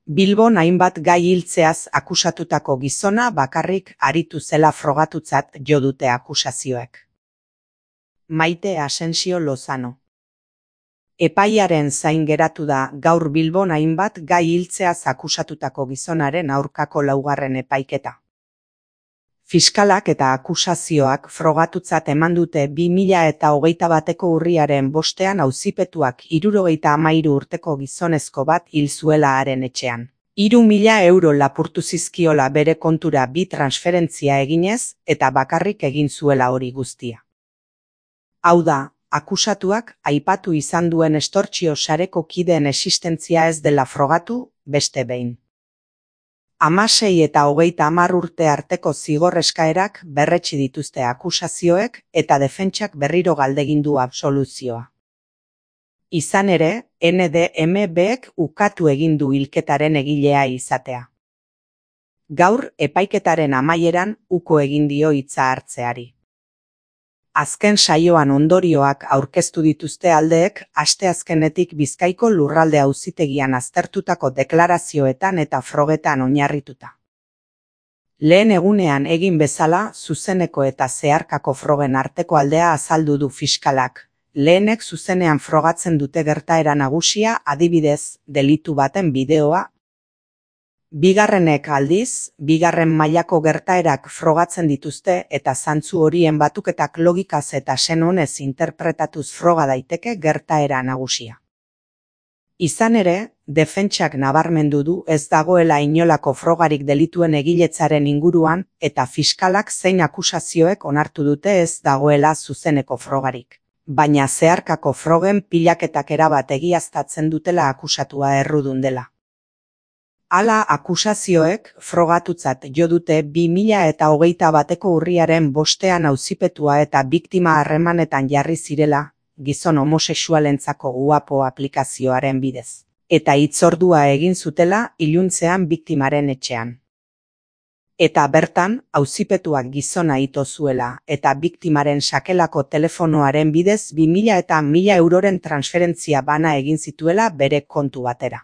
Bilbon hainbat gai hiltzeaz akusatutako gizona bakarrik aritu zela frogatutzat jo dute akusazioek. Maite Asensio Lozano. Epaiaren zain geratu da gaur Bilbon hainbat gai hiltzeaz akusatutako gizonaren aurkako laugarren epaiketa. Fiskalak eta akusazioak frogatutzat eman dute 2021ko urriaren 5ean auzipetuak 73 urteko gizonezko bat hil zuela haren etxean. 3.000 euro lapurtu zizkiola bere kontura bi transferentzia eginez eta bakarrik egin zuela hori guztia. Hau da, akusatuak aipatu izan duen estortsio sareko kideen existentzia ez dela frogatu, beste behin. 16 eta 30 urte arteko zigor eskaerak berretsi dituzte akusazioek eta defentsak berriro galdegin du absoluzioa. Izan ere, NDMBek ukatu egin du hilketaren egilea izatea. Gaur epaiketaren amaieran uko egin dio hitza hartzeari. Azken saioan ondorioak aurkeztu dituzte aldeek asteazkenetik Bizkaiko lurralde auzitegian aztertutako deklarazioetan eta frogetan oinarrituta. Lehen egunean egin bezala zuzeneko eta zeharkako frogen arteko aldea azaldu du fiskalak. Lehenek zuzenean frogatzen dute gertaera nagusia, adibidez, delitu baten bideoa. Bigarrenek aldiz, bigarren mailako gertaerak frogatzen dituzte eta zantzu horien batuketak logikaz eta senonez interpretatuz froga daiteke gertaera nagusia. Izan ere, defentsak nabarmendu du ez dagoela inolako frogarik delituen egiletzaren inguruan eta fiskalak zein akusazioek onartu dute ez dagoela zuzeneko frogarik. Baina zeharkako frogen pilaketak erabat egiaztatzen dutela akusatua errudun dela. Hala akusazioek frogatutzat jo dute 2021ko urriaren 5ean auzipetua eta biktima harremanetan jarri zirela, gizon homosexualentzako UAPO aplikazioaren bidez, eta hitzordua egin zutela iluntzean biktimaren etxean. Eta bertan, auzipetuak gizona ito zuela eta biktimaren sakelako telefonoaren bidez 2.000 eta 1.000 euroren transferentzia bana egin zituela bere kontu batera.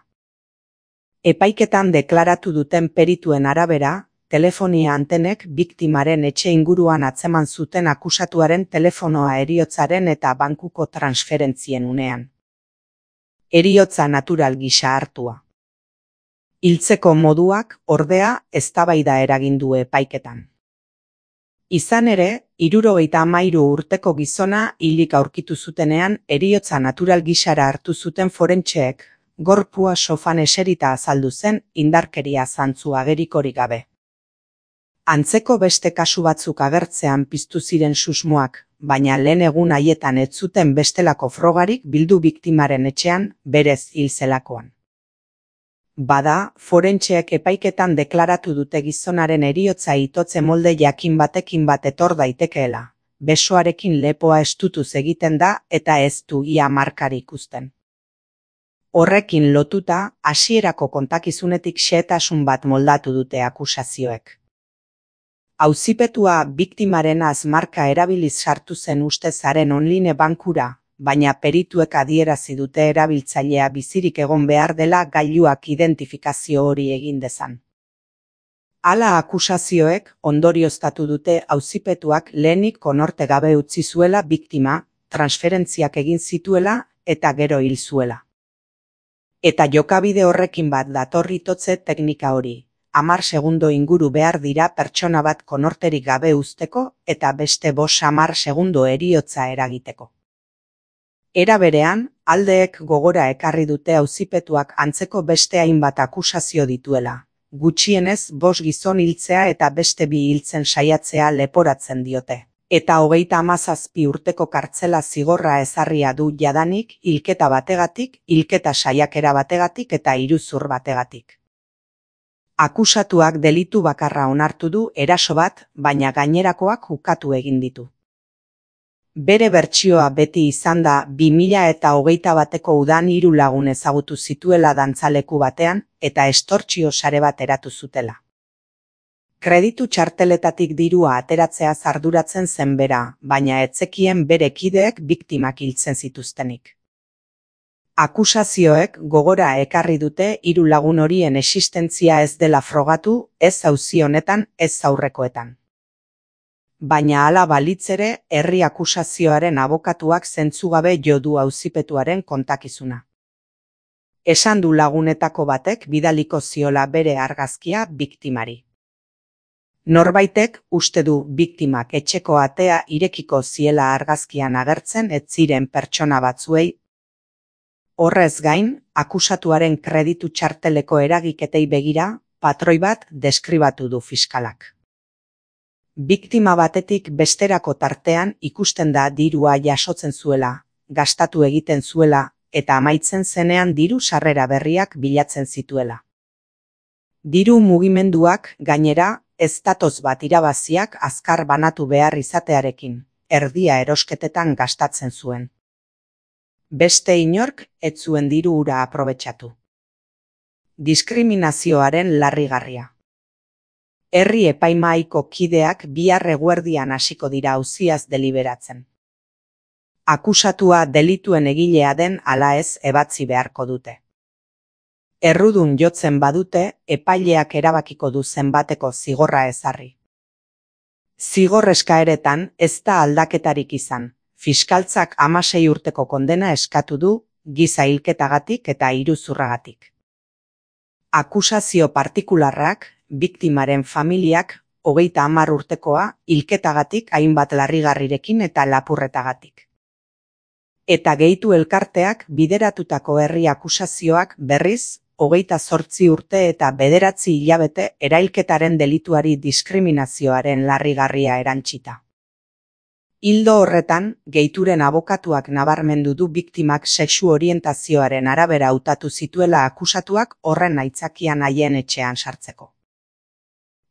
Epaiketan deklaratu duten perituen arabera, telefonia antenek biktimaren etxe inguruan atzeman zuten akusatuaren telefonoa heriotzaren eta bankuko transferentzien unean. Heriotza natural gisa hartua. Hiltzeko moduak, ordea, eztabaida eragin du epaiketan. Izan ere, 73 urteko gizona hilik aurkitu zutenean heriotza natural gisara hartu zuten forentseek, gorpua sofan eserita azaldu zen indarkeria zantzu agerikorik gabe. Antzeko beste kasu batzuk agertzean piztu ziren susmoak, baina lehen egun haietan ez zuten bestelako frogarik bildu biktimaren etxean berez hil zelakoan. Bada, forentseek epaiketan deklaratu dute gizonaren heriotza itotze molde jakin batekin bat etor daitekeela. Besoarekin lepoa estutuz egiten da eta ez du ia markari ikusten. Horrekin lotuta, hasierako kontakizunetik xehetasun bat moldatu dute akusazioek. Auzipetua biktimaren marka erabiliz sartu zen ustezaren online bankura, baina perituek adierazi dute erabiltzailea bizirik egon behar dela gailuak identifikazio hori egin dezan. Hala akusazioek ondorioztatu dute auzipetuak lehenik konorte gabe utzi zuela biktima, transferentziak egin zituela eta gero hil zuela. Eta jokabide horrekin bat datorritotze teknika hori. 10 segundo inguru behar dira pertsona bat konorterik gabe uzteko eta beste 50 segundo heriotza eragiteko. Era berean, aldeek gogora ekarri dute auzipetuak antzeko beste hainbat akusazio dituela. Gutxienez 5 gizon hiltzea eta beste 2 hiltzen saiatzea leporatzen diote. Eta 37 urteko kartzela zigorra ezarria du jadanik hilketa bategatik, hilketa saiakera bategatik eta iruzur bategatik. Akusatuak delitu bakarra onartu du eraso bat, baina gainerakoak ukatu egin ditu. Bere bertsioa beti izan da 2021ko udan 3 lagun ezagutu zituela dantzaleku batean eta estortsio sare bat eratu zutela. Kreditu txarteletatik dirua ateratzea arduratzen zen bera, baina ez zekien bere kideek biktimak hiltzen zituztenik. Akusazioek gogora ekarri dute 3 lagun horien existentzia ez dela frogatu, ez auzi honetan, ez aurrekoetan. Baina hala balitz ere, herri akusazioaren abokatuak zentzugabe jo du auzipetuaren kontakizuna. Esan du lagunetako batek bidaliko ziola bere argazkia biktimari. Norbaitek uste du biktimak etxeko atea irekiko ziela argazkian agertzen ez ziren pertsona batzuei. Horrez gain, akusatuaren kreditu txarteleko eragiketei begira, patroi bat deskribatu du fiskalak. Biktima batetik besterako tartean ikusten da dirua jasotzen zuela, gastatu egiten zuela, eta amaitzen zenean diru sarrera berriak bilatzen zituela. Diru mugimenduak, gainera, ez datoz bat irabaziak azkar banatu behar izatearekin, erdia erosketetan gastatzen zuen. Beste inork ez zuen diru hura aprobetxatu. Diskriminazioaren larrigarria. Herri epaimahaiko kideak bihar eguerdian hasiko dira auziaz deliberatzen. Akusatua delituen egilea den ala ez ebatzi beharko dute. Errudun jotzen badute, epaileak erabakiko du zenbateko zigorra ezarri. Zigor eskaeretan ez da aldaketarik izan. Fiskaltzak 16 urteko kondena eskatu du, giza hilketagatik eta iruzurragatik. Akusazio partikularrak, biktimaren familiak, 30 urtekoa, hilketagatik hainbat larrigarrirekin eta lapurretagatik. Eta gehitu elkarteak bideratutako herri akusazioak berriz, 28 urte eta 9 hilabete erailketaren delituari diskriminazioaren larrigarria erantsita. Ildo horretan, gehituren abokatuak nabarmendu du biktimak sexu orientazioaren arabera hautatu zituela akusatuak horren aitzakian haien etxean sartzeko.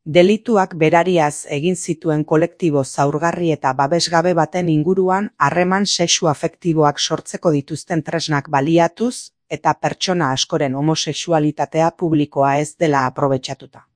Delituak berariaz egin zituen kolektibo zaurgarri eta babesgabe baten inguruan harreman sexu afektiboak sortzeko dituzten tresnak baliatuz eta pertsona askoren homosexualitatea publikoa ez dela aprobetxatuta.